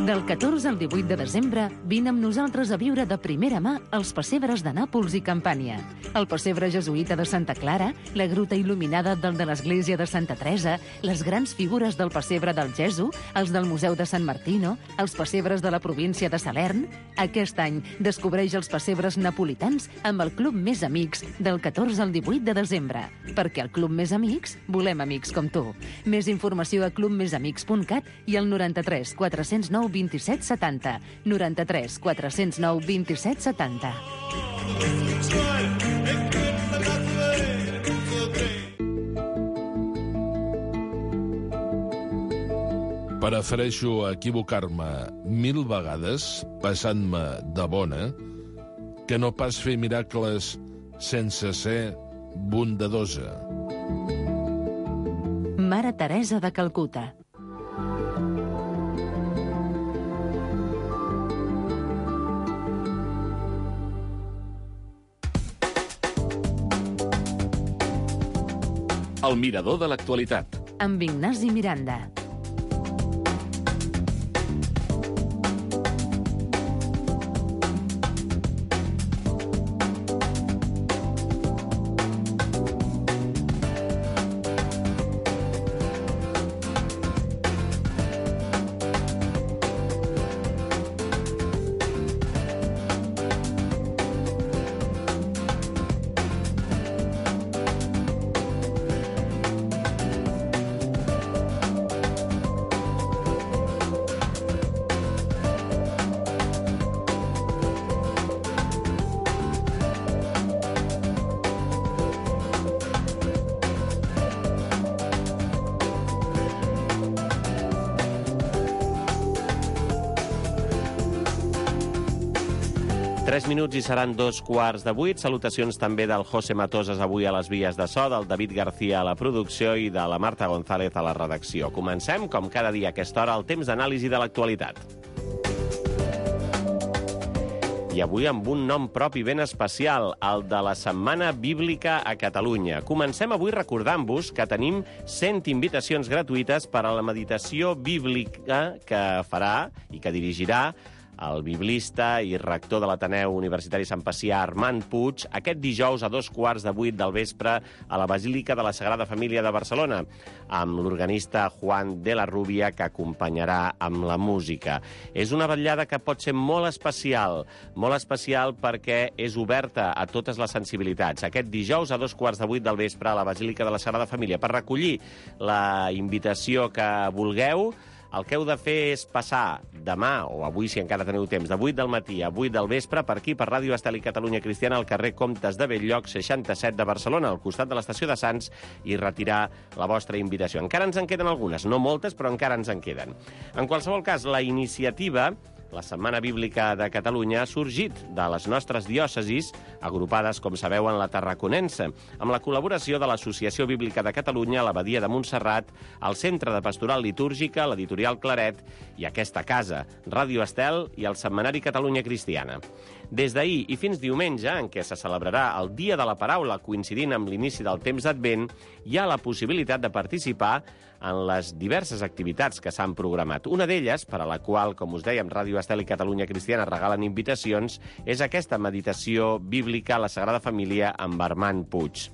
Del 14 al 18 de desembre, vine amb nosaltres a viure de primera mà els pessebres de Nàpols i Campània. El pessebre jesuïta de Santa Clara, la gruta il·luminada del de l'església de Santa Teresa, les grans figures del pessebre del Gesu, els del Museu de Sant Martino, els pessebres de la província de Salern. Aquest any descobreix els pessebres napolitans amb el Club Més Amics del 14 al 18 de desembre. Perquè al Club Més Amics volem amics com tu. Més informació a clubmesamics.cat i al 93 409 27 70. 93 409 27 70. Prefereixo equivocar-me 1000 vegades, passant-me de bona, que no pas fer miracles sense ser bondadosa. Mare Teresa de Calcuta. El mirador de l'actualitat. Amb Ignasi Miranda. Minuts i seran 7:15. Salutacions també del José Matosas avui a les vies de so, del David García a la producció i de la Marta González a la redacció. Comencem, com cada dia a aquesta hora, el temps d'anàlisi de l'actualitat. I avui amb un nom propi ben especial, el de la Setmana Bíblica a Catalunya. Comencem avui recordant-vos que tenim 100 invitacions gratuïtes per a la meditació bíblica que farà i que dirigirà el biblista i rector de l'Ateneu Universitari Sant Pacià, Armand Puig, aquest dijous a 7:15 del vespre a la Basílica de la Sagrada Família de Barcelona, amb l'organista Juan de la Rubia, que acompanyarà amb la música. És una vetllada que pot ser molt especial perquè és oberta a totes les sensibilitats. Aquest dijous a 7:15 del vespre a la Basílica de la Sagrada Família. Per recollir la invitació que vulgueu, el que heu de fer és passar demà, o avui si encara teniu temps, de 8 del matí a 8 del vespre, per aquí, per Ràdio Estel i Catalunya Cristiana, al carrer Comtes de Bell-lloc 67 de Barcelona, al costat de l'estació de Sants, i retirar la vostra invitació. Encara ens en queden algunes, no moltes, però encara ens en queden. En qualsevol cas, la iniciativa, la Setmana Bíblica de Catalunya, ha sorgit de les nostres diòcesis, agrupades, com sabeu, en la Tarraconense, amb la col·laboració de l'Associació Bíblica de Catalunya, l'Abadia de Montserrat, el Centre de Pastoral Litúrgica, l'Editorial Claret i aquesta casa, Ràdio Estel i el Setmanari Catalunya Cristiana. Des d'ahir i fins diumenge, en què se celebrarà el Dia de la Paraula, coincidint amb l'inici del temps d'Advent, hi ha la possibilitat de participar en les diverses activitats que s'han programat. Una d'elles, per a la qual, com us dèiem, Ràdio Estel i Catalunya Cristiana regalen invitacions, és aquesta meditació bíblica a la Sagrada Família amb Armand Puig.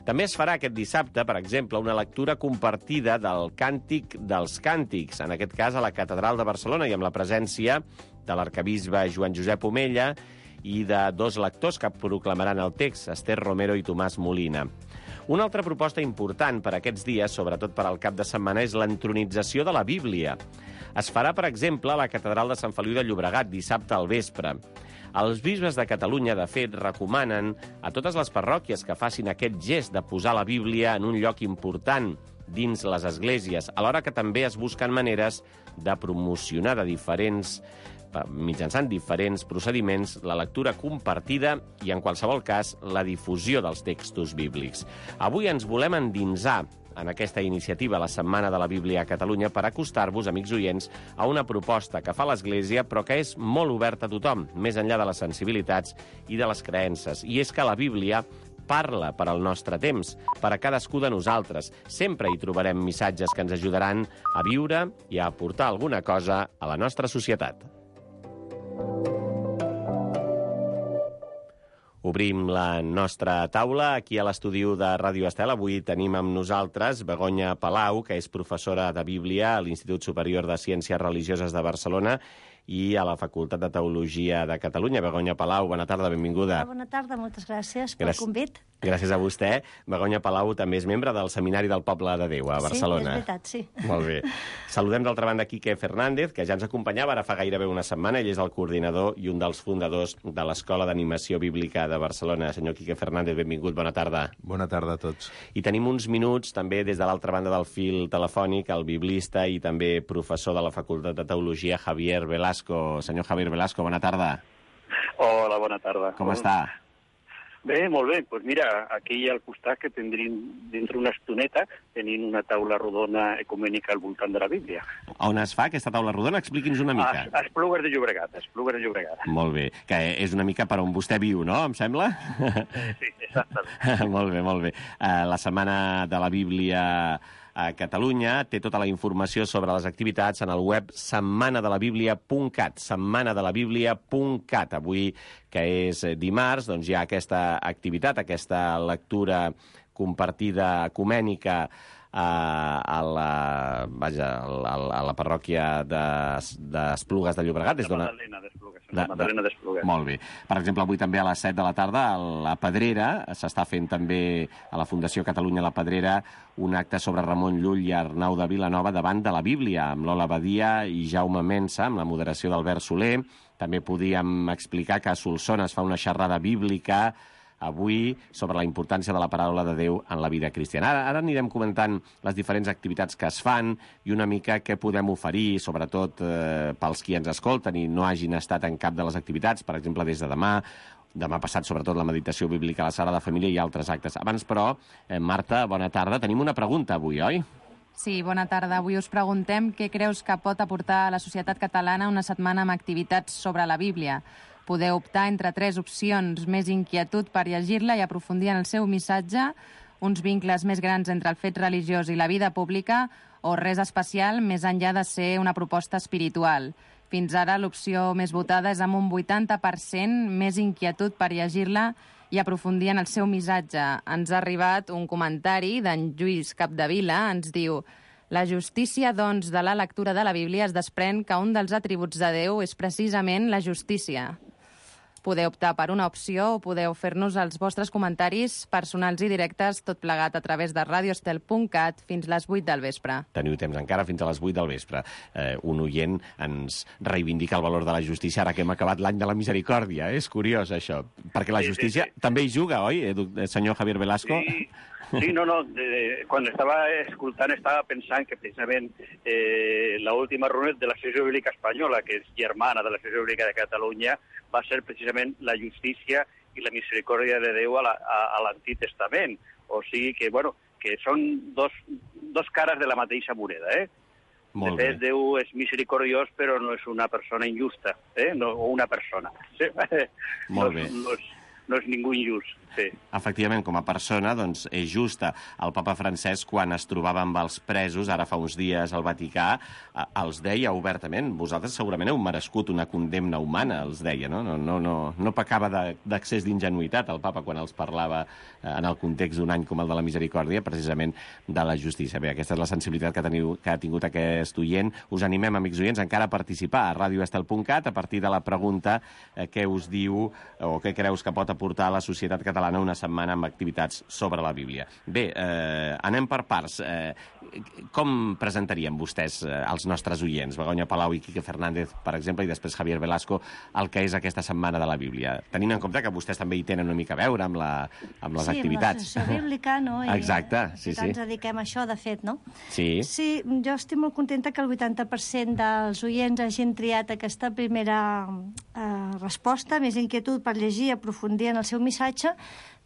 També es farà aquest dissabte, per exemple, una lectura compartida del Càntic dels Càntics, en aquest cas a la Catedral de Barcelona, i amb la presència de l'arcabisbe Joan Josep Omella i de dos lectors que proclamaran el text, Esther Romero i Tomàs Molina. Una altra proposta important per aquests dies, sobretot per al cap de setmana, és l'entronització de la Bíblia. Es farà, per exemple, a la Catedral de Sant Feliu de Llobregat, dissabte al vespre. Els bisbes de Catalunya, de fet, recomanen a totes les parròquies que facin aquest gest de posar la Bíblia en un lloc important dins les esglésies, alhora que també es busquen maneres de promocionar mitjançant diferents procediments la lectura compartida i, en qualsevol cas, la difusió dels textos bíblics. Avui ens volem endinsar en aquesta iniciativa, la Setmana de la Bíblia a Catalunya, per acostar-vos, amics oients, a una proposta que fa l'Església, però que és molt oberta a tothom, més enllà de les sensibilitats i de les creences. I és que la Bíblia parla per al nostre temps, per a cadascú de nosaltres. Sempre hi trobarem missatges que ens ajudaran a viure i a aportar alguna cosa a la nostra societat. Obrim la nostra taula aquí a l'estudi de Ràdio Estel. Avui tenim amb nosaltres Begoña Palau, que és professora de Bíblia a l'Institut Superior de Ciències Religioses de Barcelona i a la Facultat de Teologia de Catalunya. Begoña Palau, bona tarda, benvinguda. Bona tarda, moltes gràcies pel convit. Gràcies a vostè. Begoña Palau també és membre del Seminari del Poble de Déu a Barcelona. Sí, és veritat, sí. Molt bé. Saludem d'altra banda Quique Fernández, que ja ens acompanyava ara fa gairebé una setmana. Ell és el coordinador i un dels fundadors de l'Escola d'Animació Bíblica de Barcelona. Senyor Quique Fernández, benvingut, bona tarda. Bona tarda a tots. I tenim uns minuts també des de l'altra banda del fil telefònic el biblista i també professor de la Facultat de Teologia, Javier Velasco. Senyor Javier Velasco, bona tarda. Hola, bona tarda. Com està? Bé, molt bé. Doncs mira, aquí al costat que tindríem dintre una estoneta tenint una taula rodona ecumènica al voltant de la Bíblia. On es fa aquesta taula rodona? Expliqui'ns una mica. A Esplugues de Llobregat. Molt bé. Que és una mica per on vostè viu, no? Em sembla? Sí, exactament. Molt bé. La Setmana de la Bíblia a Catalunya té tota la informació sobre les activitats en el web setmanadelabiblia.cat, setmanadelabiblia.cat. Avui, que és dimarts, doncs hi ha aquesta activitat, aquesta lectura compartida ecumènica a la parròquia d'Esplugues de Llobregat. La Magdalena d'Esplugues. Molt bé. Per exemple, avui també a les 7 de la tarda a la Pedrera s'està fent també a la Fundació Catalunya La Pedrera un acte sobre Ramon Llull i Arnau de Vilanova davant de la Bíblia, amb Lola Badia i Jaume Mensa, amb la moderació d'Albert Soler. També podíem explicar que a Solsona es fa una xerrada bíblica avui sobre la importància de la paraula de Déu en la vida cristiana. Ara anirem comentant les diferents activitats que es fan i una mica què podem oferir, sobretot pels qui ens escolten i no hagin estat en cap de les activitats, per exemple, des de demà passat, sobretot la meditació bíblica a la Sagrada Família i altres actes. Abans, però, Marta, bona tarda. Tenim una pregunta avui, oi? Sí, bona tarda. Avui us preguntem què creus que pot aportar a la societat catalana una setmana amb activitats sobre la Bíblia. Podeu optar entre 3 opcions: més inquietud per llegir-la i aprofundir en el seu missatge, uns vincles més grans entre el fet religiós i la vida pública, o res especial més enllà de ser una proposta espiritual. Fins ara l'opció més votada és amb un 80% més inquietud per llegir-la i aprofundir en el seu missatge. Ens ha arribat un comentari d'en Lluís Capdevila, ens diu: la justícia, doncs, de la lectura de la Bíblia es desprèn que un dels atributs de Déu és precisament la justícia. Podeu optar per una opció o podeu fer-nos els vostres comentaris personals i directes, tot plegat a través de radioestel.cat fins les 8 del vespre. Teniu temps encara fins a les 8 del vespre. Un oient ens reivindica el valor de la justícia ara que hem acabat l'any de la misericòrdia. És curiós, això. Perquè la justícia també hi juga, oi, senyor Javier Velasco? Sí, no. Quan estava escoltant estava pensant que precisament l'última reunió de l'Associació Bíblica Espanyola, que és germana de l'Associació Bíblica de Catalunya, va ser precisament la justícia i la misericòrdia de Déu a l'Antic Testament. O sigui que, bueno, que són dos cares de la mateixa moneda, De fet, Déu és misericordiós, però no és una persona injusta, o una persona. Molt bé. No és ningú injust, sí. Efectivament, com a persona, doncs, és justa. El papa Francesc, quan es trobava amb els presos, ara fa uns dies al Vaticà, els deia obertament: vosaltres segurament heu merescut una condemna humana, els deia, no? No pecava d'accés d'ingenuïtat el papa quan els parlava en el context d'un any com el de la misericòrdia, precisament de la justícia. Bé, aquesta és la sensibilitat que ha tingut aquest oient. Us animem, amics oients, encara a participar a radioestel.cat a partir de la pregunta què us diu o què creus que pot aportar a la societat catalana una setmana amb activitats sobre la Bíblia. Bé, anem per parts. Com presentaríem vostès als nostres oients, Begoña Palau i Quique Fernández, per exemple, i després Javier Velasco, el que és aquesta setmana de la Bíblia? Tenint en compte que vostès també hi tenen una mica a veure amb les activitats. Sí, amb l'associació bíblica, no? Exacte, sí. Ens dediquem a això, de fet, no? Sí. Sí, jo estic molt contenta que el 80% dels oients hagin triat aquesta primera resposta, més inquietud per llegir i aprofundir en el seu missatge,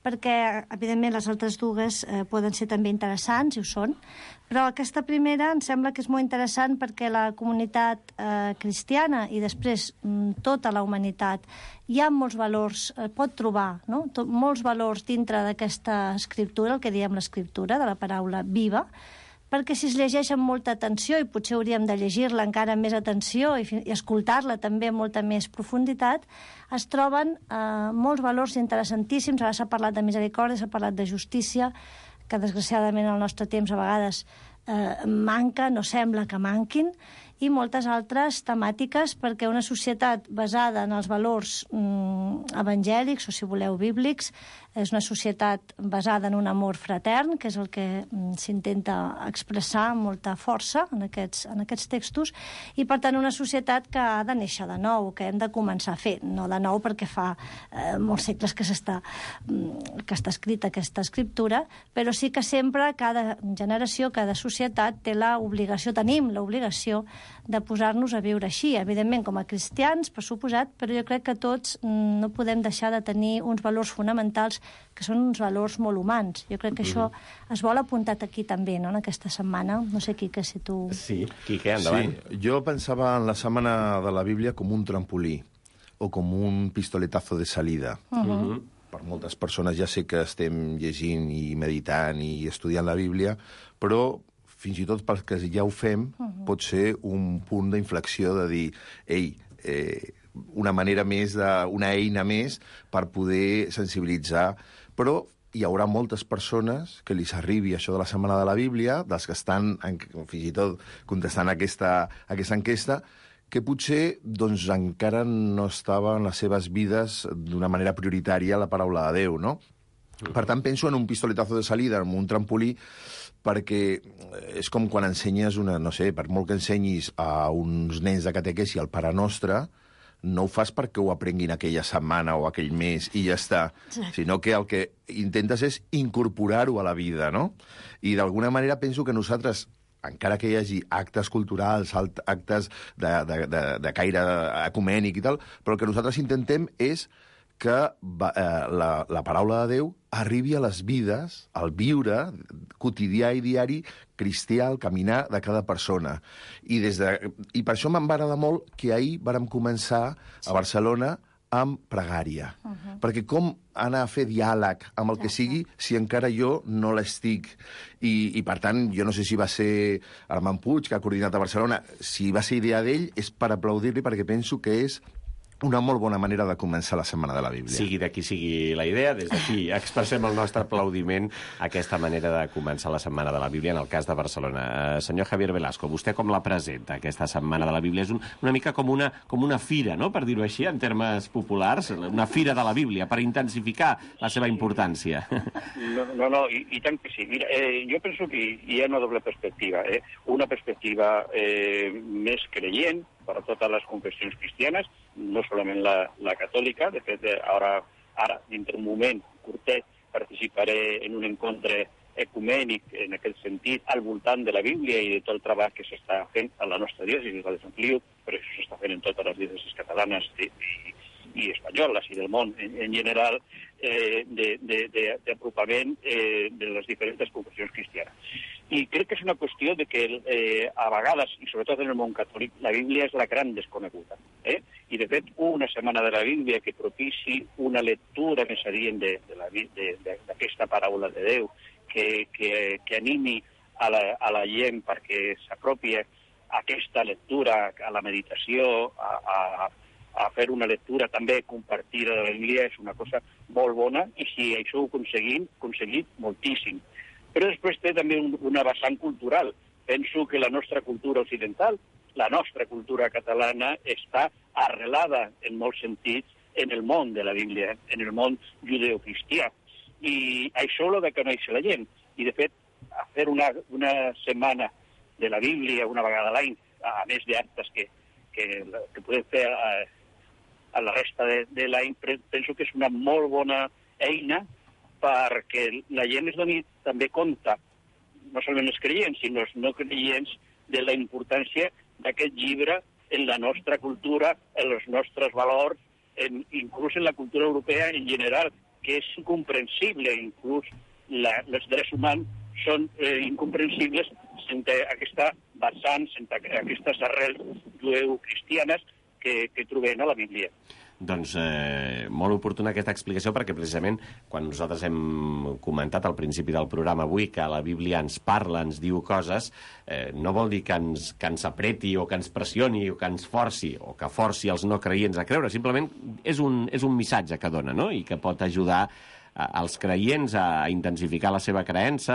perquè, evidentment, les altres dues poden ser també interessants, i ho són, però aquesta primera em sembla que és molt interessant perquè la comunitat cristiana i després tota la humanitat hi ha molts valors, pot trobar molts valors dintre d'aquesta escriptura, el que diem l'escriptura, de la paraula viva, perquè si es llegeix amb molta atenció, i potser hauríem de llegir-la encara amb més atenció i escoltar-la també amb molta més profunditat, es troben molts valors interessantíssims. Ara s'ha parlat de misericòrdia, s'ha parlat de justícia, que desgraciadament al nostre temps a vegades manca, no sembla que manquin, i moltes altres temàtiques, perquè una societat basada en els valors evangèlics, o si voleu bíblics, és una societat basada en un amor fratern, que és el que s'intenta expressar amb molta força en aquests textos, i per tant una societat que ha de néixer de nou, que hem de començar a fer, no de nou perquè fa molts segles que està escrita aquesta escriptura, però sí que sempre cada generació, cada societat té l'obligació, tenim l'obligació de posar-nos a viure així, evidentment com a cristians, per suposat, però jo crec que tots no podem deixar de tenir uns valors fonamentals que són uns valors molt humans. Jo crec que això es vol apuntat aquí també, no?, en aquesta setmana. No sé, Quique, si tu... Sí, Quique, endavant. Sí, jo pensava en la setmana de la Bíblia com un trampolí o com un pistoletazo de salida. Per moltes persones ja sé que estem llegint i meditant i estudiant la Bíblia, però fins i tot pels que ja ho fem, pot ser un punt d'inflexió de dir, ei, una manera més, una eina més per poder sensibilitzar. Però hi haurà moltes persones que li arribi això de la Setmana de la Bíblia, dels que estan fins i tot contestant aquesta enquesta, que potser doncs, encara no estava en les seves vides d'una manera prioritària la paraula de Déu, no? Per tant, penso en un pistoletazo de salida, en un trampolí, perquè és com quan ensenyes no sé, per molt que ensenyis a uns nens de catequesi el Pare Nostre, no ho fas perquè ho aprenguin aquella setmana o aquell mes i ja està, sinó que el que intentes és incorporar-ho a la vida, no? I d'alguna manera penso que nosaltres, encara que hi hagi actes culturals, actes de caire ecumènic i tal, però el que nosaltres intentem és que la paraula de Déu arribi a les vides, al viure quotidià i diari cristià, al caminar de cada persona. I per això m'en va agradar molt que ahir vàrem començar a Barcelona amb pregària. Perquè com anar a fer diàleg amb el que sigui si encara jo no l'estic? I per tant, jo no sé si va ser Armand Puig, que ha coordinat a Barcelona, si va ser idea d'ell, és per aplaudir-li, perquè penso que és una molt bona manera de començar la Setmana de la Bíblia. Sigui de qui sigui la idea, des d'aquí expressem el nostre aplaudiment a aquesta manera de començar la Setmana de la Bíblia en el cas de Barcelona. Senyor Javier Velasco, vostè com la presenta, aquesta Setmana de la Bíblia? És una mica com una fira, no?, per dir-ho així, en termes populars, una fira de la Bíblia, per intensificar la seva importància. No, i tant que sí. Mira, jo penso que hi ha una doble perspectiva. Una perspectiva més creient per a totes les confessions cristianes, no solament la catòlica. De fet, ara, dintre un moment curtet, participaré en un encontre ecumènic, en aquest sentit, al voltant de la Bíblia i de tot el treball que s'està fent a la nostra diòcesi, la de Sant Feliu, però això s'està fent en totes les diòcesis catalanes i espanyoles i del món en general, d'apropament de les diferents confessions cristianes. I crec que és una qüestió de que a vegades, i sobretot en el món catòlic, la Bíblia és la gran desconeguda. I de fet, una setmana de la Bíblia que propici una lectura més adient d'aquesta paraula de Déu, que animi a la gent perquè s'apropi a aquesta lectura, a la meditació, a fer una lectura també compartida de la Bíblia, és una cosa molt bona, i si això ho aconseguit moltíssim. Però després té també una vessant cultural. Penso que la nostra cultura occidental, la nostra cultura catalana, està arrelada en molts sentits en el món de la Bíblia, en el món judeocristià. I això ho ha de conèixer la gent. I, de fet, a fer una setmana de la Bíblia una vegada a l'any, a més d'actes que podem fer a la resta de l'any, penso que és una molt bona eina perquè la gent es doni també compte, no solament els creients, sinó els no creients, de la importància d'aquest llibre en la nostra cultura, en els nostres valors, inclús en la cultura europea en general, que és incomprensible, inclús els drets humans són incomprensibles sense aquesta vessant, sense aquestes arrels jueu-cristianes que trobem a la Bíblia. Doncs molt oportuna aquesta explicació, perquè precisament quan nosaltres hem comentat al principi del programa avui que la Bíblia ens parla, ens diu coses, no vol dir que ens apreti o que ens pressioni o que ens forci o que forci els no creients a creure. Simplement és un missatge que dona, no? I que pot ajudar als creients a intensificar la seva creença,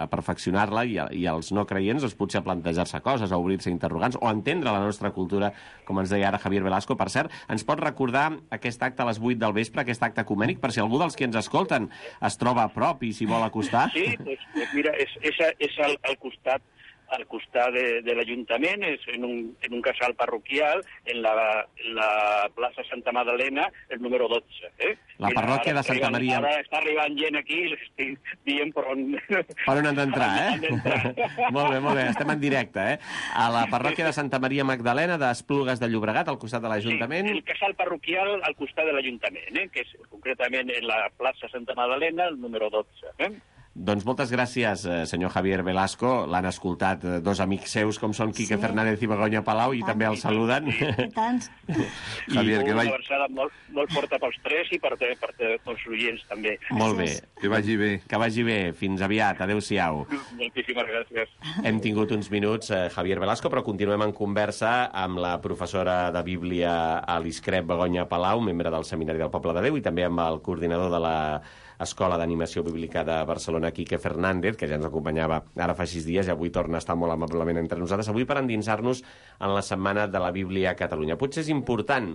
a perfeccionar-la, i als no creients doncs, potser a plantejar-se coses, a obrir-se interrogants o a entendre la nostra cultura, com ens deia ara Javier Velasco. Per cert, ens pot recordar aquest acte a les 8 del vespre, aquest acte ecumènic, per si algú dels que ens escolten es troba a prop i s'hi vol acostar? Sí, pues mira, és al costat de l'Ajuntament, és en un casal parroquial, en la plaça Santa Magdalena, el número 12. La parròquia de Santa Maria. Ara està arribant gent aquí i les estic dient per on han d'entrar, Molt bé, estem en directe, A la parròquia de Santa Maria Magdalena d'Esplugues de Llobregat, al costat de l'Ajuntament. Sí, el casal parroquial al costat de l'Ajuntament, que és concretament en la plaça Santa Magdalena, el número 12. Doncs moltes gràcies, senyor Javier Velasco. L'han escoltat dos amics seus, com són Quique Fernández i Begoña Palau, i també el saluden. I tants. Javier, que una abraçada molt forta pels tres i per els oients, també. Molt bé. Que vagi bé. Que vagi bé. Fins aviat. Adéu-siau. Moltíssimes gràcies. Hem tingut uns minuts, Javier Velasco, però continuem en conversa amb la professora de Bíblia a l'ISCREP, Begoña Palau, membre del Seminari del Poble de Déu, i també amb el coordinador de la Escola d'Animació Bíblica de Barcelona, Quique Fernández, que ja ens acompanyava ara fa 6 dies i avui torna a estar molt amablement entre nosaltres, avui per endinsar-nos en la Setmana de la Bíblia a Catalunya. Potser és important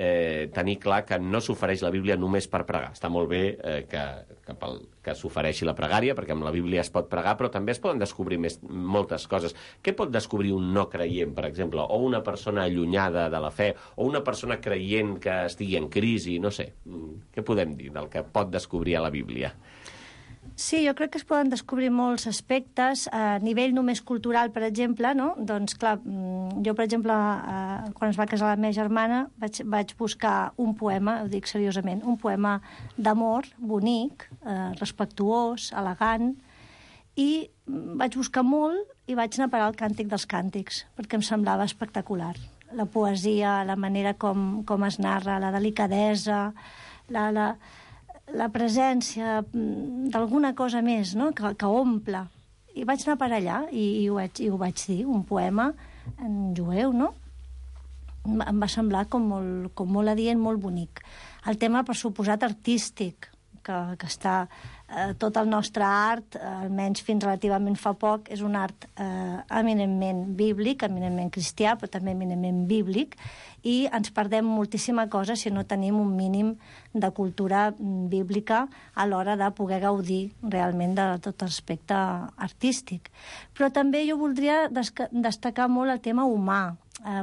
tenir clar que no s'ofereix la Bíblia només per pregar. Està molt bé que s'ofereixi la pregària, perquè amb la Bíblia es pot pregar, però també es poden descobrir moltes coses. Què pot descobrir un no creient, per exemple, o una persona allunyada de la fe, o una persona creient que estigui en crisi, no sé. Què podem dir del que pot descobrir a la Bíblia? Sí, jo crec que es poden descobrir molts aspectes a nivell només cultural, per exemple, no? Doncs, clar, jo, per exemple, quan es va casar la meva germana, vaig buscar un poema, ho dic seriosament, un poema d'amor, bonic, respectuós, elegant, i vaig buscar molt i vaig anar a parar al Càntic dels Càntics, perquè em semblava espectacular. La poesia, la manera com es narra, la delicadesa, la presència d'alguna cosa més, no? que omple. I vaig anar per allà i ho vaig dir, un poema en jueu, no? Em va semblar com molt adient, molt bonic. El tema, per suposat, artístic, que està tot el nostre art, almenys fins relativament fa poc, és un art eminentment bíblic, eminentment cristià, però també eminentment bíblic, i ens perdem moltíssima cosa si no tenim un mínim de cultura bíblica a l'hora de poder gaudir realment de tot l'aspecte artístic. Però també jo voldria destacar molt el tema humà.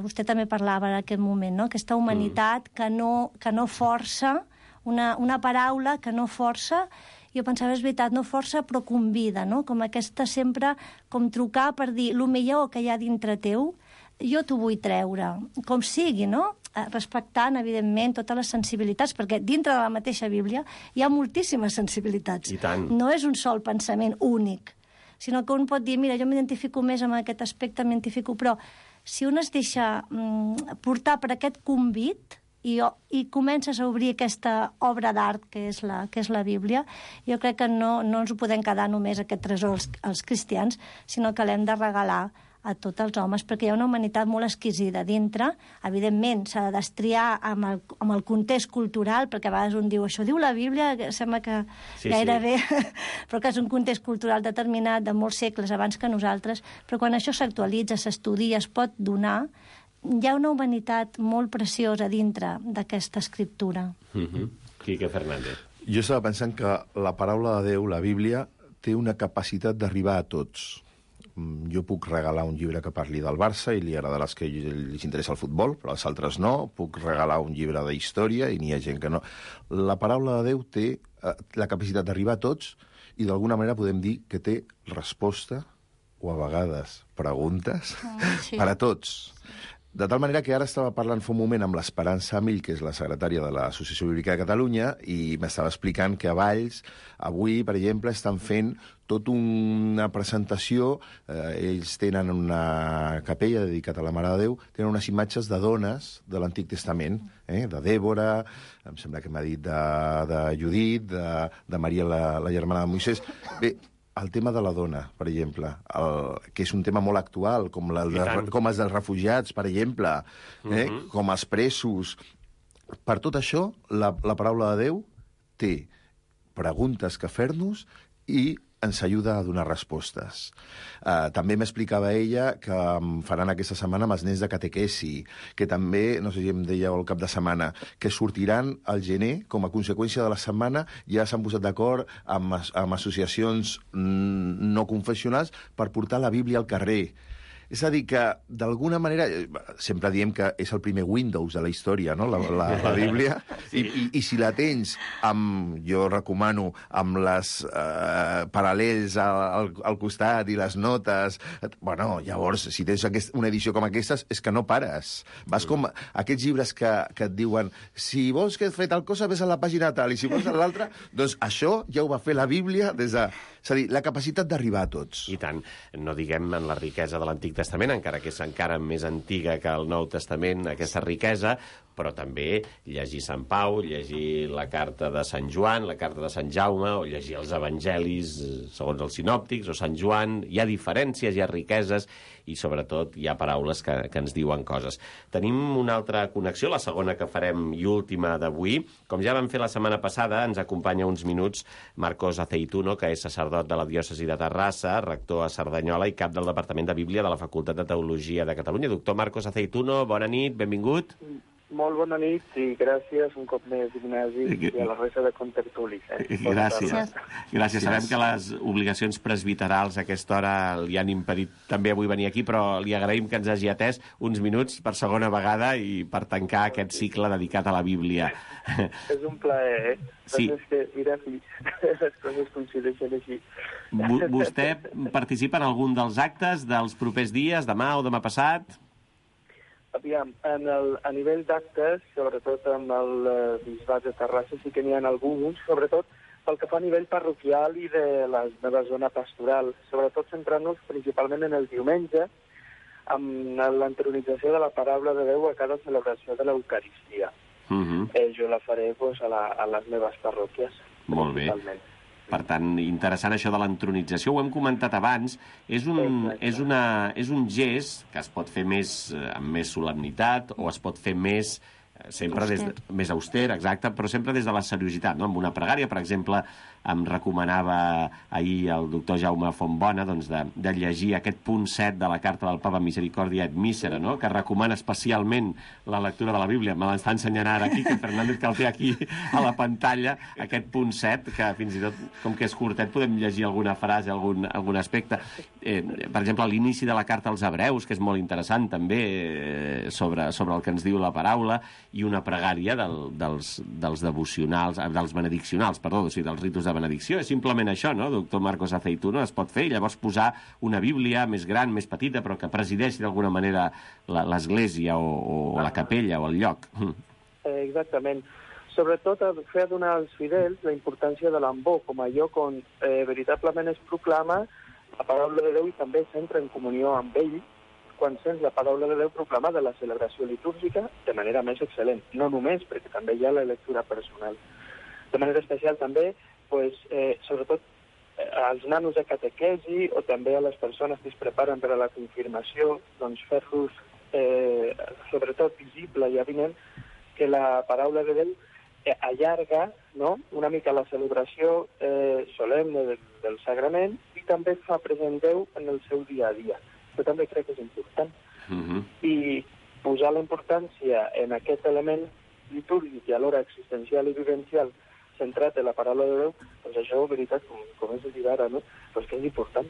Vostè també parlava en aquest moment, no? Aquesta humanitat que no força, una paraula que no força. Jo pensava, és veritat, no força, però convida, no? Com aquesta sempre, com trucar per dir, el millor que hi ha dintre teu, jo t'ho vull treure, com sigui, no? Respectant, evidentment, totes les sensibilitats, perquè dintre de la mateixa Bíblia hi ha moltíssimes sensibilitats. I tant. No és un sol pensament únic, sinó que un pot dir, mira, jo m'identifico més amb aquest aspecte, però si un es deixa portar per aquest convit i comences a obrir aquesta obra d'art que és la Bíblia, jo crec que no ens ho podem quedar només aquest tresor als cristians, sinó que l'hem de regalar a tots els homes, perquè hi ha una humanitat molt exquisida dintre. Evidentment, s'ha de destriar amb el context cultural, perquè a vegades un diu, això diu la Bíblia, que sembla que gairebé, però que és un context cultural determinat de molts segles abans que nosaltres, però quan això s'actualitza, s'estudia, es pot donar, hi ha una humanitat molt preciosa dintre d'aquesta escriptura. Quique Fernández. Jo estava pensant que la paraula de Déu, la Bíblia, té una capacitat d'arribar a tots. Jo puc regalar un llibre que parli del Barça i li agradarà als que els interessa el futbol, però als altres no. Puc regalar un llibre de història i n'hi ha gent que no. La paraula de Déu té la capacitat d'arribar a tots i d'alguna manera podem dir que té resposta o a vegades preguntes per a tots. De tal manera que ara estava parlant fa un moment amb l'Esperança Mill, que és la secretària de l'Associació Bíblica de Catalunya, i m'estava explicant que a Valls, avui, per exemple, estan fent tota una presentació. Ells tenen una capella dedicada a la Mare de Déu, tenen unes imatges de dones de l'Antic Testament, de Dèbora, em sembla que m'ha dit de Judit, de Maria, la germana de Moisès. Bé, el tema de la dona, per exemple, que és un tema molt actual, com els dels refugiats, per exemple, com els presos. Per tot això, la paraula de Déu té preguntes que fer-nos i ens ajuda a donar respostes. També m'explicava ella que faran aquesta setmana amb els nens de catequesi, que també, no sé si em deia el cap de setmana, que sortiran al gener, com a conseqüència de la setmana, ja s'han posat d'acord amb associacions no confessionals per portar la Bíblia al carrer. És a dir, que d'alguna manera, sempre diem que és el primer Windows de la història, no? La Bíblia, i si la tens, jo recomano, amb les paral·lels al costat i les notes, bueno, llavors, si tens una edició com aquestes, és que no pares. Vas com aquests llibres que et diuen si vols que et fer tal cosa, ves a la pàgina tal, i si vols a l'altra, doncs això ja ho va fer la Bíblia des de... És a dir, la capacitat d'arribar a tots. I tant. No diguem en la riquesa de l'Antic Testament, encara que és encara més antiga que el Nou Testament, aquesta riquesa, però també llegir Sant Pau, llegir la carta de Sant Joan, la carta de Sant Jaume, o llegir els evangelis segons els sinòptics, o Sant Joan. Hi ha diferències, hi ha riqueses, i sobretot hi ha paraules que ens diuen coses. Tenim una altra connexió, la segona que farem i última d'avui. Com ja vam fer la setmana passada, ens acompanya uns minuts Marcos Aceituno, que és sacerdot de la diòcesi de Terrassa, rector a Cerdanyola i cap del Departament de Bíblia de la Facultat de Teologia de Catalunya. Doctor Marcos Aceituno, bona nit, benvingut. Molt bona nit i gràcies un cop més, Ignasi, i a la resta de contertulis. Gràcies. Gràcies. Sabem que les obligacions presbiterals a aquesta hora li han impedit també avui venir aquí, però li agraïm que ens hagi atès uns minuts per segona vegada i per tancar aquest cicle dedicat a la Bíblia. És un plaer, Sí. És que, mira, les coses coincideixen així. Vostè participa en algun dels actes dels propers dies, demà o demà passat? Aviam, a nivell d'actes, sobretot amb el bisbat de Terrassa, sí que n'hi ha alguns, sobretot pel que fa a nivell parroquial i de la meva zona pastoral, sobretot centrant-nos principalment en el diumenge, amb l'entronització de la paraula de Déu a cada celebració de l'Eucaristia. Jo la faré a les meves parròquies. Molt bé. Per tant, interessant això de l'entronització, ho hem comentat abans, és un gest que es pot fer amb més solemnitat o es pot fer més més auster, exacte, però sempre des de la seriositat, no? Amb una pregària, per exemple, em recomanava ahir el doctor Jaume Fontbona de llegir aquest punt 7 de la carta del Papa Misericòrdia et Mísera, no? Que recomana especialment la lectura de la Bíblia. Me l'està ensenyant ara aquí, que Fernández que el té aquí a la pantalla, aquest punt 7, que fins i tot, com que és curtet, podem llegir alguna frase, algun aspecte. Per exemple, a l'inici de la carta als Hebreus, que és molt interessant també, sobre el que ens diu la paraula, i una pregària dels devocionals, dels benediccionals, perdó, o sigui, dels ritus de benedicció. És simplement això, no, doctor Marcos Aceituno? Es pot fer i llavors posar una Bíblia més gran, més petita, però que presideixi d'alguna manera l'església o la capella o el lloc. Exactament. Sobretot fer donar als fidels la importància de l'ambó com a lloc on veritablement es proclama la paraula de Déu i també s'entra en comunió amb ell quan sents la paraula de Déu proclamada a la celebració litúrgica de manera més excel·lent. No només, perquè també hi ha la lectura personal. De manera especial també, sobretot als nanos de catequesi o també a les persones que es preparen per a la confirmació, doncs fer-los sobretot visible i avinent que la paraula de Déu allarga, no?, una mica la celebració solemne del sagrament i també fa present Déu en el seu dia a dia. Això també crec que és important. I posar la importància en aquest element litúrgic i alhora existencial i vivencial centrat en la paraula de Déu, doncs això, veritat, com és dir ara, no? Però és que és important.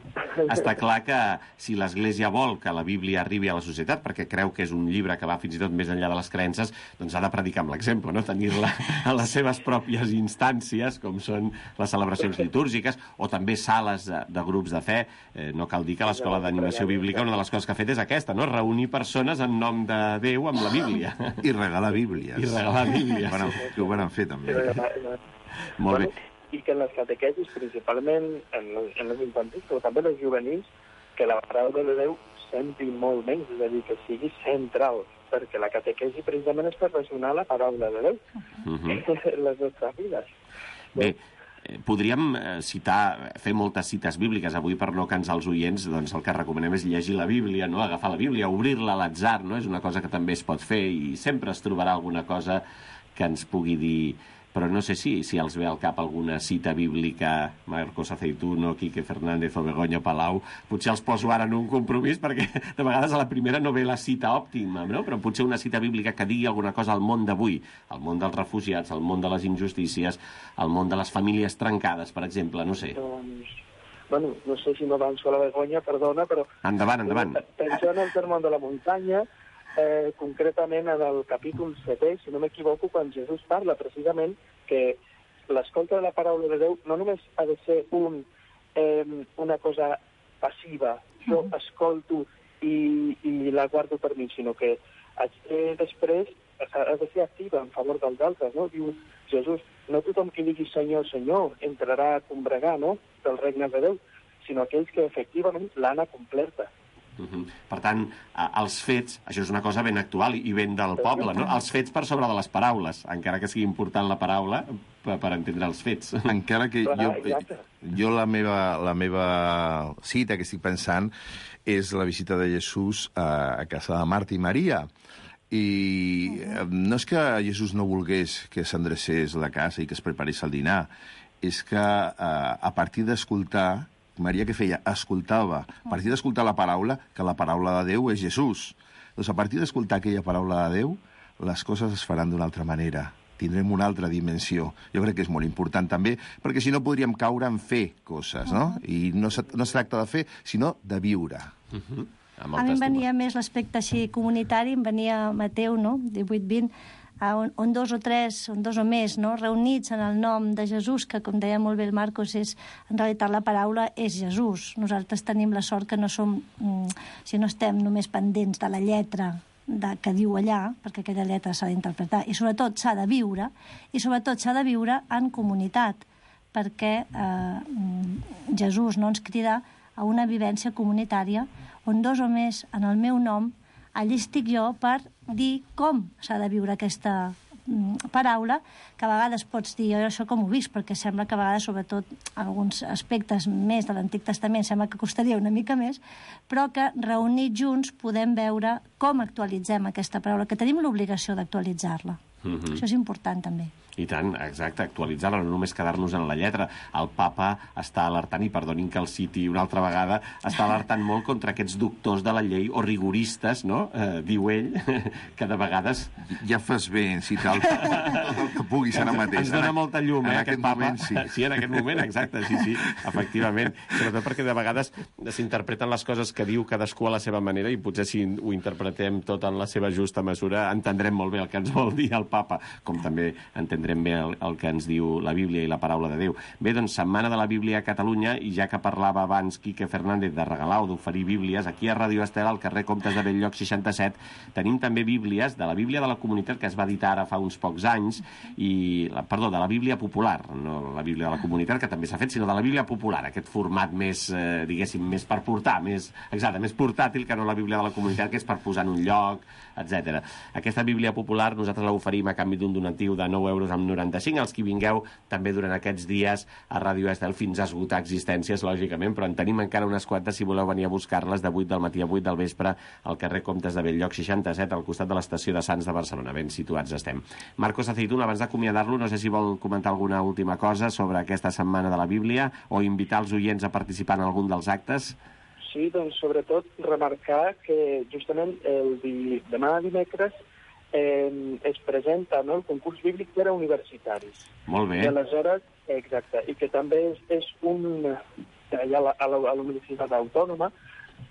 Està clar que si l'Església vol que la Bíblia arribi a la societat, perquè creu que és un llibre que va fins i tot més enllà de les creences, doncs ha de predicar amb l'exemple, no? Tenir-la a les seves pròpies instàncies, com són les celebracions litúrgiques, o també sales de grups de fe. No cal dir que l'Escola d'Animació Bíblica, una de les coses que ha fet és aquesta, no? Reunir persones en nom de Déu amb la Bíblia. I regalar Bíblies. I regalar Bíblies. Que ho van fer, també. Molt bé. I que en les catequesis, principalment en les infantils, però també en les juvenils, que la paraula de Déu senti molt menys, és a dir, que sigui central, perquè la catequesi precisament és per ressonar la paraula de Déu en les nostres vides. Bé, podríem fer moltes cites bíbliques avui per no cansar els oients, doncs el que recomanem és llegir la Bíblia, no? Agafar la Bíblia, obrir-la a l'atzar, no? És una cosa que també es pot fer i sempre es trobarà alguna cosa que ens pugui dir. Però no sé si els ve al cap alguna cita bíblica, Marcos Aceituno, Quique Fernández o Begoña Palau. Potser els poso ara en un compromís, perquè de vegades a la primera no ve la cita òptima, no? Però potser una cita bíblica que digui alguna cosa al món d'avui, al món dels refugiats, al món de les injustícies, al món de les famílies trencades, per exemple, no sé. Doncs, bueno, no sé si m'avanço a la Begoña, perdona, però... Endavant. Pensant en el Sermó de la Muntanya, concretament en el capítol 7, si no m'equivoco, quan Jesús parla precisament que l'escolta de la paraula de Déu no només ha de ser una cosa passiva, jo escolto i la guardo per mi, sinó que després ha de ser activa en favor dels altres, no? Diu Jesús, no tothom que digui Senyor, Senyor entrarà a combregar, no?, del regne de Déu, sinó aquells que efectivament l'han acompleta. Per tant, els fets, això és una cosa ben actual i ben del poble, no? Els fets per sobre de les paraules, encara que sigui important la paraula per entendre els fets. Encara que jo la meva cita que estic pensant és la visita de Jesús a casa de Marta i Maria. I no és que Jesús no volgués que s'endrecés la casa i que es preparés el dinar, és que a partir d'escoltar, Maria què feia? Escoltava. A partir d'escoltar la paraula, que la paraula de Déu és Jesús. Doncs a partir d'escoltar aquella paraula de Déu, les coses es faran d'una altra manera. Tindrem una altra dimensió. Jo crec que és molt important també, perquè si no podríem caure en fer coses, no? I no es tracta de fer, sinó de viure. A mi em venia més l'aspecte així comunitari, em venia Mateu, no?, 18-20, on dos o més, no?, reunits en el nom de Jesús, que, com deia molt bé el Marcos, en realitat la paraula és Jesús. Nosaltres tenim la sort que no estem només pendents de la lletra que diu allà, perquè aquella lletra s'ha d'interpretar, i sobretot s'ha de viure, en comunitat, perquè Jesús no ens crida a una vivència comunitària on dos o més en el meu nom, allí estic jo per dir com s'ha de viure aquesta paraula, que a vegades pots dir, jo això com ho visc, perquè sembla que a vegades, sobretot alguns aspectes més de l'Antic Testament, sembla que costaria una mica més, però que reunits junts podem veure com actualitzem aquesta paraula, que tenim l'obligació d'actualitzar-la. Això és important també. I tant, exacte, actualitzar-la, no només quedar-nos en la lletra. El papa està alertant, i perdonin que el citi una altra vegada, està alertant molt contra aquests doctors de la llei o rigoristes, no?, diu ell, que de vegades... Ja fas bé en citar tot el que puguis ara mateix. Ens dona molta llum, aquest papa. Moment, sí. Sí, en aquest moment, exacte, sí, efectivament. Sobretot perquè de vegades s'interpreten les coses que diu cadascú a la seva manera i potser si ho interpretem tot en la seva justa mesura entendrem molt bé el que ens vol dir el papa, com també entendrem bé el que ens diu la Bíblia i la paraula de Déu. Bé, doncs, Setmana de la Bíblia a Catalunya, i ja que parlava abans Quique Fernández de regalar o d'oferir bíblies, aquí a Ràdio Estel, al carrer Comtes de Bell-lloc 67, tenim també bíblies de la Bíblia de la Comunitat, que es va editar ara fa uns pocs anys, de la Bíblia popular, no la Bíblia de la Comunitat, que també s'ha fet, sinó de la Bíblia popular, aquest format més, diguéssim, més per portar, més portàtil que no la Bíblia de la Comunitat, que és per posar en un lloc, etc. Aquesta Bíblia popular nosaltres l'oferim a canvi d'un donatiu de 9,95 €, els que vingueu també durant aquests dies a Ràdio Estel fins a esgotar existències, lògicament, però en tenim encara unes quantes si voleu venir a buscar-les de 8 del matí a 8 del vespre al carrer Comtes de Bell-lloc 67, al costat de l'estació de Sants de Barcelona. Ben situats estem. Marcos Aceituno, abans d'acomiadar-lo, no sé si vol comentar alguna última cosa sobre aquesta Setmana de la Bíblia o invitar els oients a participar en algun dels actes. Sí, doncs sobretot remarcar que justament demà dimecres es presenta, no?, el concurs bíblic per a universitaris. Molt bé. I aleshores, exacte, i que també és allà a la Universitat Autònoma,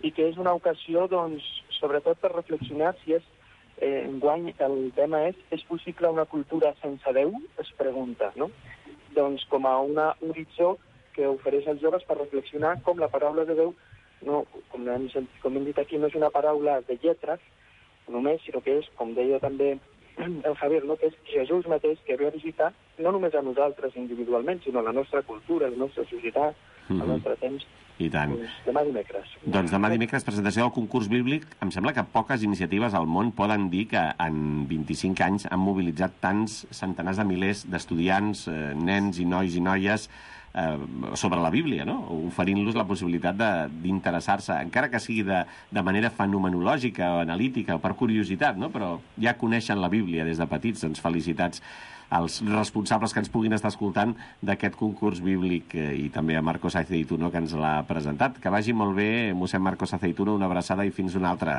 i que és una ocasió, doncs, sobretot per reflexionar si enguany el tema és possible una cultura sense Déu? Es pregunta, no? Doncs com a un horitzó que ofereix als joves per reflexionar com la paraula de Déu, no, com hem dit aquí, no és una paraula de lletres només, sinó que és, com deia també el Javier, no?, que és Jesús mateix que ve a visitar no només a nosaltres individualment, sinó a la nostra cultura, a la nostra societat, al nostre temps. I tant. Doncs demà dimecres. Doncs demà dimecres, presentació del concurs bíblic. Em sembla que poques iniciatives al món poden dir que en 25 anys han mobilitzat tants centenars de milers d'estudiants, nens i nois i noies sobre la Bíblia, no?, oferint-los la possibilitat d'interessar-se, encara que sigui de manera fenomenològica o analítica o per curiositat, no?, però ja coneixen la Bíblia des de petits. Doncs felicitats als responsables que ens puguin estar escoltant d'aquest concurs bíblic i també a Marcos Aceituno, que ens l'ha presentat. Que vagi molt bé, mossèn Marcos Aceituno, una abraçada i fins una altra.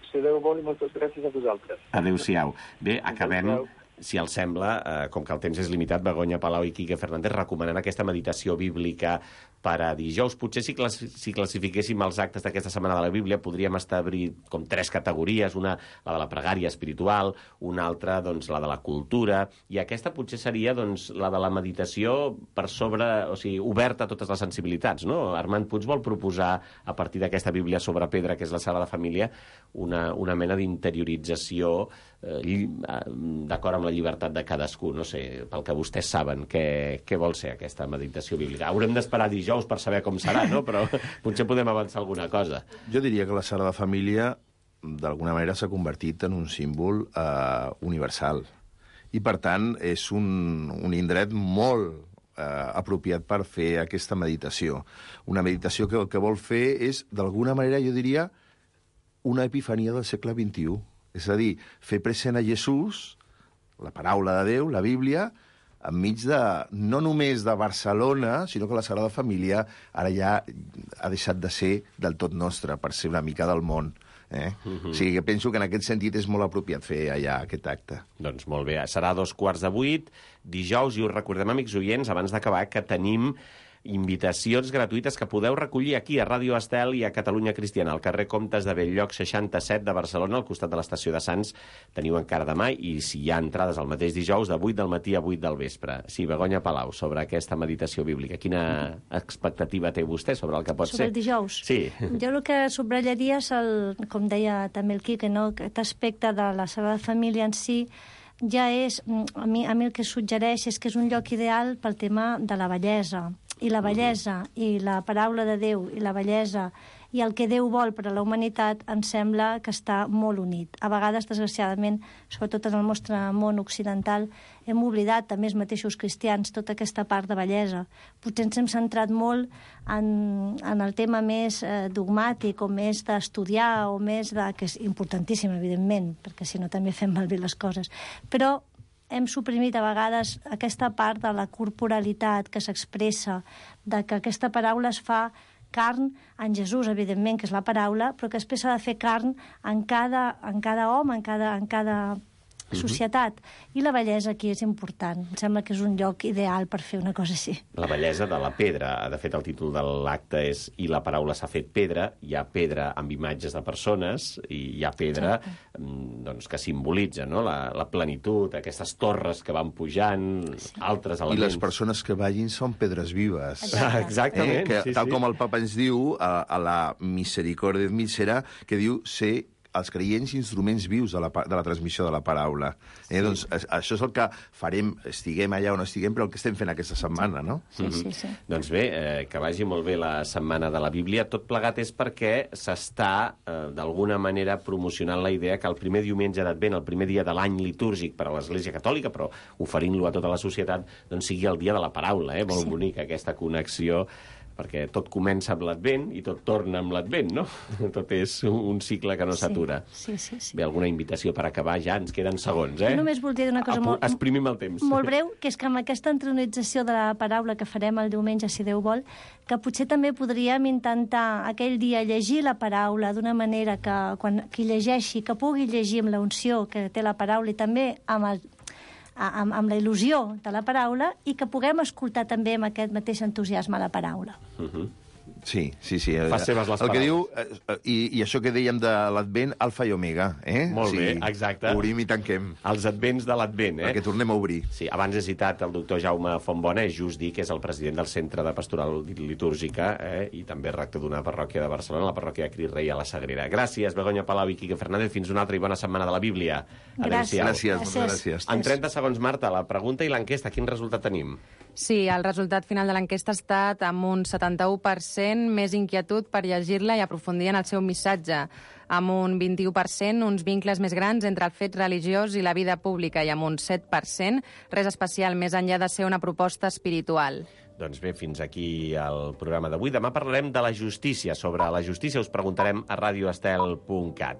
Si Déu vol, i moltes gràcies a vosaltres. Adéu-siau. Bé, acabem, si els sembla, com que el temps és limitat, Begoña Palau i Quique Fernández recomanant aquesta meditació bíblica per a dijous. Potser si classifiquéssim els actes d'aquesta setmana de la Bíblia podríem establir com 3 categories, una la de la pregària espiritual, una altra doncs la de la cultura, i aquesta potser seria doncs la de la meditació per sobre, o sigui, oberta a totes les sensibilitats, no? Armand Puig vol proposar, a partir d'aquesta Bíblia sobre pedra, que és la Sagrada Família, una mena d'interiorització d'acord amb la llibertat de cadascú. No sé, pel que vostès saben, què vol ser aquesta meditació bíblica. Haurem d'esperar dijous per saber com serà, no? Però potser podem avançar alguna cosa. Jo diria que la Sagrada Família, d'alguna manera, s'ha convertit en un símbol universal. I, per tant, és un indret molt apropiat per fer aquesta meditació. Una meditació que el que vol fer és, d'alguna manera, jo diria, una epifania del segle XXI. És a dir, fer present a Jesús, la paraula de Déu, la Bíblia, enmig de, no només de Barcelona, sinó que la Sagrada Família ara ja ha deixat de ser del tot nostra, per ser una mica del món. O sigui, que penso que en aquest sentit és molt apropiat fer allà aquest acte. Doncs molt bé, serà 7:15, dijous, i us recordem, amics oients, abans d'acabar, que tenim invitacions gratuïtes que podeu recollir aquí a Ràdio Estel i a Catalunya Cristiana, al carrer Comtes de Bell-lloc 67 de Barcelona, al costat de l'estació de Sants. Teniu encara demà, i si hi ha entrades el mateix dijous, de 8 del matí a 8 del vespre. Sí, Begoña Palau, sobre aquesta meditació bíblica. Quina expectativa té vostè sobre el que pot ser? Sobre el dijous? Sí. Jo el que subratllaria és, com deia també el Quique, no?, aquest aspecte de la Sagrada Família en si ja és, a mi el que suggereix és que és un lloc ideal pel tema de la bellesa. I la bellesa i la paraula de Déu i la bellesa i el que Déu vol per a la humanitat em sembla que està molt unit. A vegades, desgraciadament, sobretot en el nostre món occidental, hem oblidat, també els mateixos cristians, tota aquesta part de bellesa. Potser ens hem centrat molt en el tema més dogmàtic o més d'estudiar o més de... que és importantíssim, evidentment, perquè si no també fem malbé les coses. Però hem suprimit a vegades aquesta part de la corporalitat que s'expressa, de que aquesta paraula es fa carn en Jesús, evidentment, que és la paraula, però que després s'ha de fer carn en cada home, en cada societat. I la bellesa aquí és important. Em sembla que és un lloc ideal per fer una cosa així. La bellesa de la pedra. De fet, el títol de l'acte és "I la paraula s'ha fet pedra". Hi ha pedra amb imatges de persones i hi ha pedra doncs, que simbolitza, no?, la plenitud, aquestes torres que van pujant, altres elements. I les persones que ballin són pedres vives. Exactament. Que, tal com el papa ens diu a la Misericordia Mísera, que diu ser els creients instruments vius de la transmissió de la paraula. Doncs això és el que farem, estiguem allà o no estiguem, però el que estem fent aquesta setmana, no? Sí. Doncs bé, que vagi molt bé la Setmana de la Bíblia. Tot plegat és perquè s'està, d'alguna manera, promocionant la idea que el primer diumenge d'Advent, el primer dia de l'any litúrgic per a l'Església Catòlica, però oferint-lo a tota la societat, doncs sigui el dia de la paraula, Molt bonic aquesta connexió perquè tot comença amb l'Advent i tot torna amb l'Advent, no? Tot és un cicle que no s'atura. Sí. Bé, alguna invitació per acabar? Ja ens queden segons, Jo només voldria dir una cosa Exprimim el temps. molt breu, que és que amb aquesta entronització de la paraula que farem el diumenge, si Déu vol, que potser també podríem intentar aquell dia llegir la paraula d'una manera que quan qui llegeixi, que pugui llegir amb la unció que té la paraula i també amb la il·lusió de la paraula i que puguem escoltar també amb aquest mateix entusiasme la paraula. Sí. Fa seves les el que paraules. diu, i això que dèiem de l'Advent, alfa i omega, Molt bé, exacte. Obrim i tanquem. Els advents de l'Advent, Perquè tornem a obrir. Sí, abans he citat el doctor Jaume Fontbona, és just dir que és el president del Centre de Pastoral Litúrgica i també rector d'una parròquia de Barcelona, la parròquia de Crist Rei a la Sagrera. Gràcies, Begoña Palau i Quique Fernández. Fins una altra i bona setmana de la Bíblia. Adéu-siau. Gràcies, moltes gràcies. En 30 segons, Marta, la pregunta i l'enquesta. Quin resultat tenim? Sí, el resultat final de l'enquesta ha estat amb un 71% més inquietud per llegir-la i aprofundir en el seu missatge, amb un 21% uns vincles més grans entre el fet religiós i la vida pública i amb un 7% res especial més enllà de ser una proposta espiritual. Doncs bé, fins aquí el programa d'avui. Demà parlarem de la justícia. Sobre la justícia us preguntarem a radioestel.cat.